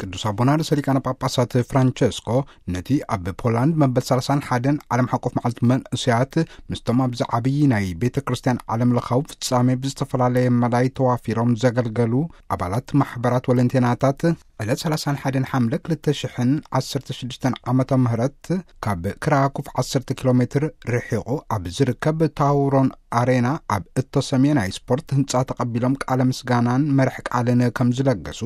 ቅዱስ ኣቦና ርእሰ ሊቃነ ጳጳሳት ፍራንቸስኮ ነቲ ኣብ ፖላንድ መበል ሰላሳን ሓደን ዓለም ሓቆፍ መዓልቲ መንእሰያት ምስቶም ኣብዚ ዓብዪ ናይ ቤተ ክርስቲያን ዓለም ለኻዊ ፍጻሜ ብዝተፈላለየ መዳይ ተዋፊሮም ዘገልገሉ ኣባላት ማሕበራት ወለንቴናታት ዕለት ሰላሳን ሓደን ሓምለ ክልተ ሽሕን ዓሰርተ ሽዱሽተን ዓመተ ምህረት ካብ ክራኩፍ ዓሰርተ ኪሎ ሜትር ርሒቑ ኣብ ዝርከብ ታውሮን ኣሬና ኣብ እተሰምየ ናይ ስፖርት ህንጻ ተቐቢሎም ቃለ ምስጋናን መርሕ ቃልን ከም ዝለገሱ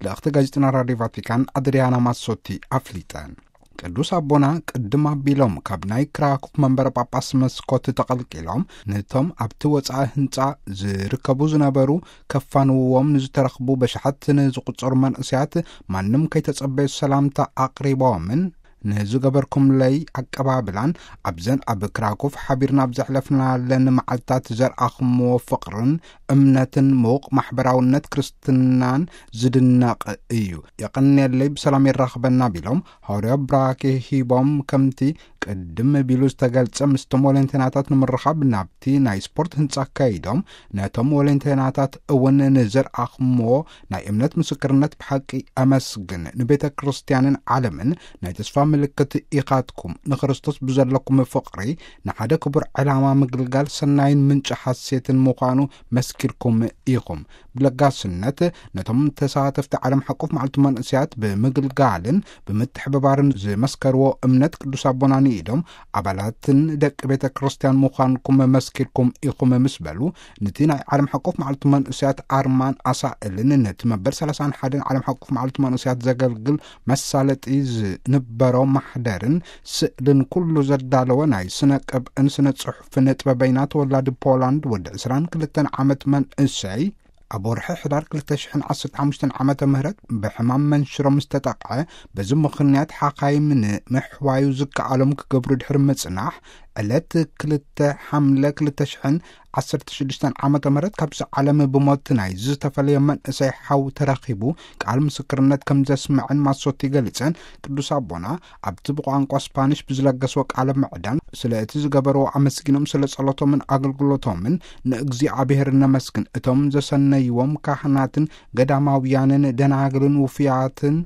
ልእኽቲ ጋዜጠና ራድዮ ቫቲካን ኣድሪያና ማሶቲ ኣፍሊጠን። ቅዱስ ኣቦና ቅድም ኣቢሎም ካብ ናይ ክራኩፍ መንበረ ጳጳስ መስኮት ተቐልቂሎም ነቶም ኣብቲ ወጻኢ ህንጻ ዝርከቡ ዝነበሩ ከፋንውዎም ንዝተረኽቡ በሽሓት ንዝቑጸሩ መንእሰያት ማንም ከይተጸበዩ ሰላምታ ኣቕሪቦምን ንዝገበርኩምለይ ኣቀባብላን ኣብዘን ኣብ ክራኩፍ ሓቢርና ኣብ ዘሕለፍናለን መዓልታት ዘርኣኹምዎ ፍቕርን እምነትን ምዉቕ ማሕበራውነት ክርስትናን ዝድነቕ እዩ። የቐንየለይ፣ ብሰላም የራኽበና ቢሎም ሃዋርያዊ ብራኬ ሂቦም ከምቲ ቅድም ቢሉ ዝተገልጸ ምስቶም ወለንቴናታት ንምርኻብ ናብቲ ናይ ስፖርት ህንጻ ከይዶም ነቶም ወለንቴናታት እውን ንዘርኣኹምዎ ናይ እምነት ምስክርነት ብሓቂ ኣመስግን። ንቤተ ክርስቲያንን ዓለምን ናይ ተስፋ ምልክት ኢኻትኩም። ንክርስቶስ ብዘለኩም ፍቕሪ ንሓደ ክቡር ዕላማ ምግልጋል ሰናይን ምንጪ ሓሴትን ምዃኑ መስኪርኩም ኢኹም። ብለጋስነት ነቶም ተሳተፍቲ ዓለም ሓቆፍ መዓልቲ መንእሰያት ብምግልጋልን ብምትሕብባርን ዝመስከርዎ እምነት ቅዱስ ኣቦና ንኢዶም ኣባላትን ደቂ ቤተ ክርስቲያን ምዃንኩም መስኪርኩም ኢኹም ምስ በሉ፣ ነቲ ናይ ዓለም ሓቆፍ መዓልቲ መንእሰያት ኣርማን ኣሳእልን ነቲ መበል ሰላሳን ሓደን ዓለም ሓቆፍ መዓልቲ መንእሰያት ዘገልግል መሳለጢ ዝንበሮ ማሕደርን ስእልን ኩሉ ዘዳለወ ናይ ስነ ቅብእን ስነ ጽሑፍን ጥበበይና ተወላዲ ፖላንድ ወዲ ዕስራን ክልተን ዓመት መንእሰይ ኣብ ወርሒ ሕዳር ክልተ ሽሕን ዓሰርተ ሓሙሽተን ዓመተ ምህረት ብሕማም መንሽሮ ምስ ተጠቕዐ፣ በዚ ምኽንያት ሓኻይም ንምሕዋዩ ዝከኣሎም ክገብሩ ድሕሪ ምጽናሕ፣ ዕለት ክልተ ሓምለ ክልተ ሽሕን ዓሰርተ ሽዱሽተን ዓመተ ምህረት ካብዚ ዓለም ብሞት ናይ ዝተፈለየ መንእሰይ ሓው ተረኺቡ ቃል ምስክርነት ከም ዘስምዐን ማሶቲ ገሊጸን። ቅዱስ ኣቦና ኣብቲ ብቋንቋ ስፓኒሽ ብዝለገስዎ ቃለ ምዕዳን ስለ እቲ ዝገበርዎ ኣመስጊኖም ስለ ጸሎቶምን ኣገልግሎቶምን ንእግዚኣብሔር ነመስግን። እቶም ዘሰነይዎም ካህናትን ገዳማውያንን ደናግልን ውፉያትን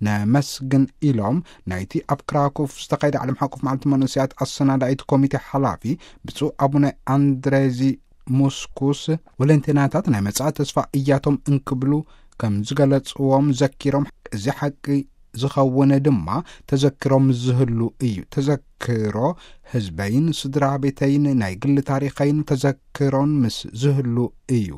ነመስግን ኢሎም ናይቲ ኣብ ክራኩፍ ዝተኻየደ ዓለም ሓቆፍ መዓልቲ መንእሰያት ኣሰናዳኢት ኮሚቴ ሓላፊ ብፁዕ ኣቡነ ኣንድሬዚ ሙስኩስ ወለንቴናታት ናይ መጻኢ ተስፋ እያቶም እንክብሉ ከም ዝገለጽዎም ዘኪሮም፣ እዚ ሓቂ ዝኸውን ድማ ተዘክሮም ዝህሉ እዩ። ተዘክሮ ህዝበይን ስድራ ቤተይን ናይ ግሊ ታሪኸይን ተዘክሮን ምስ ዝህሉ እዩ።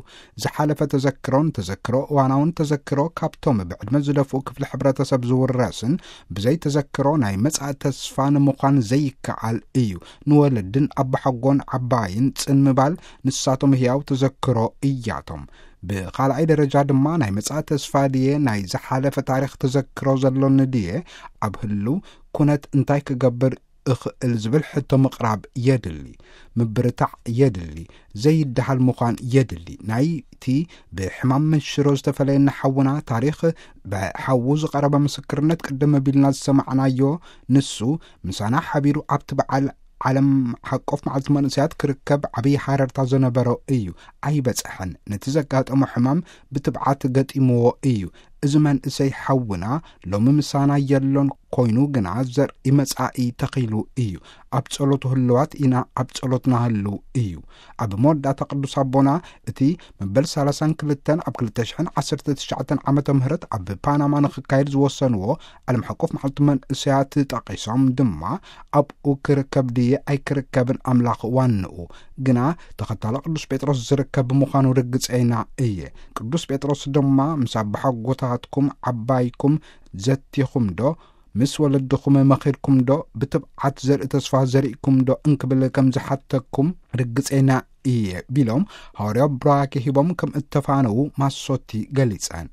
ዝሓለፈ ተዘክሮን ተዘክሮ እዋናውን ተዘክሮ ካብቶም ብዕድመ ዝደፍኡ ክፍሊ ሕብረተሰብ ዝውረስን ብዘይ ተዘክሮ ናይ መጻኢ ተስፋ ንምዃን ዘይከኣል እዩ። ንወለድን ኣባሓጎን ዓባይን ጽን ምባል ንሳቶም ህያው ተዘክሮ እያቶም። ብኻልኣይ ደረጃ ድማ ናይ መጻኢ ተስፋ ድየ ናይ ዝሓለፈ ታሪኽ ተዘክሮ ዘሎኒ ድየ ኣብ ህልው ኩነት እንታይ ክገብር እኽእል ዝብል ሕቶ ምቕራብ የድሊ። ምብርታዕ የድሊ። ዘይደሃል ምዃን የድሊ። ናይቲ ብሕማም መንሽሮ ዝተፈለየና ሓውና ታሪኽ ብሓዉ ዝቐረበ ምስክርነት ቅድም ቢልና ዝሰማዕናዮ ንሱ ምሳና ሓቢሩ ኣብቲ በዓል ዓለም ሓቆፍ መዓልቲ መንእሰያት ክርከብ ዓብዪ ሓረርታ ዝነበሮ እዩ። ኣይበጽሐን። ነቲ ዘጋጠሞ ሕማም ብትብዓት ገጢምዎ እዩ። እዚ መንእሰይ ሓውና ሎሚ ምሳና የሎን ኮይኑ ግና ዘርኢ መጻኢ ተኺሉ እዩ። ኣብ ጸሎቱ ህልዋት ኢና፣ ኣብ ጸሎትና ህልው እዩ። ኣብ መወዳእታ ቅዱስ ኣቦና እቲ መበል ሰላሳን ክልተን ኣብ ክልተ ሽሕን ዓሰርተ ትሽዓተን ዓመተ ምህረት ኣብ ፓናማ ንኽካየድ ዝወሰንዎ ዓለም ሓቆፍ መዓልቲ መንእሰያት ጠቒሶም ድማ ኣብኡ ክርከብ ድየ ኣይክርከብን ኣምላኽ ዋንኡ፣ ግና ተኸታሊ ቅዱስ ጴጥሮስ ዝርከብ ምዃኑ ርግጸይና እየ። ቅዱስ ጴጥሮስ ድማ ምስ ኣባሓጎታትኩም ዓባይኩም ዘቲኹም ዶ ምስ ወለድኹም መኺርኩም ዶ ብትብዓት ዘርኢ ተስፋ ዘሪእኩም ዶ እንክብል ከም ዝሓተኩም ርግጸይና እየ ቢሎም ሃዋርያዊ ብራኬ ሂቦም ከም እተፋነዉ ማሶቲ ገሊጸን።